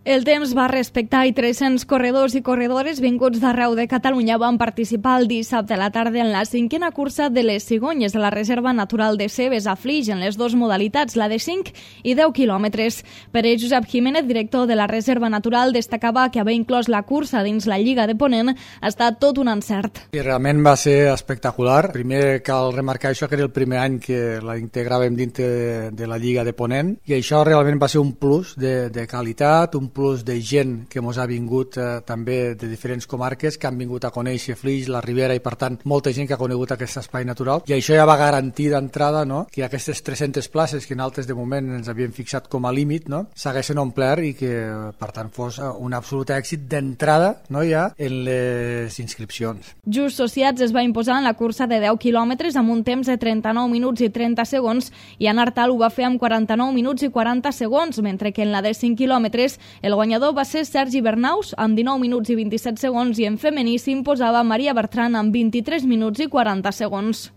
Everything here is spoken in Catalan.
El temps va respectar i 300 corredors i corredores vinguts d'arreu de Catalunya van participar el dissabte a la tarda en la 5a cursa de les cigonyes de la Reserva Natural de Cebes a Flix en les dues modalitats, la de 5 i 10 quilòmetres. Per ell, Josep Jiménez, director de la Reserva Natural, destacava que haver inclòs la cursa dins la Lliga de Ponent ha estat tot un encert. I realment va ser espectacular. Primer cal remarcar això, que era el primer any que la integràvem dintre de la Lliga de Ponent, i això realment va ser un plus de qualitat, un plus de gent que mos ha vingut també de diferents comarques, que han vingut a conèixer Flix, la Ribera, i per tant molta gent que ha conegut aquest espai natural, i això ja va garantir d'entrada, no?, que aquestes 300 places que nosaltres de moment ens havíem fixat com a límit, no?, s'haguessin omplert i que per tant fos un absolut èxit d'entrada, no?, ja en les inscripcions. Just Sociats es va imposar en la cursa de 10 quilòmetres amb un temps de 39 minuts i 30 segons i en Artal ho va fer amb 49 minuts i 40 segons, mentre que en la de 5 quilòmetres el guanyador va ser Sergi Bernaus amb 19 minuts i 27 segons i en femení s'imposava Maria Bertran amb 23 minuts i 40 segons.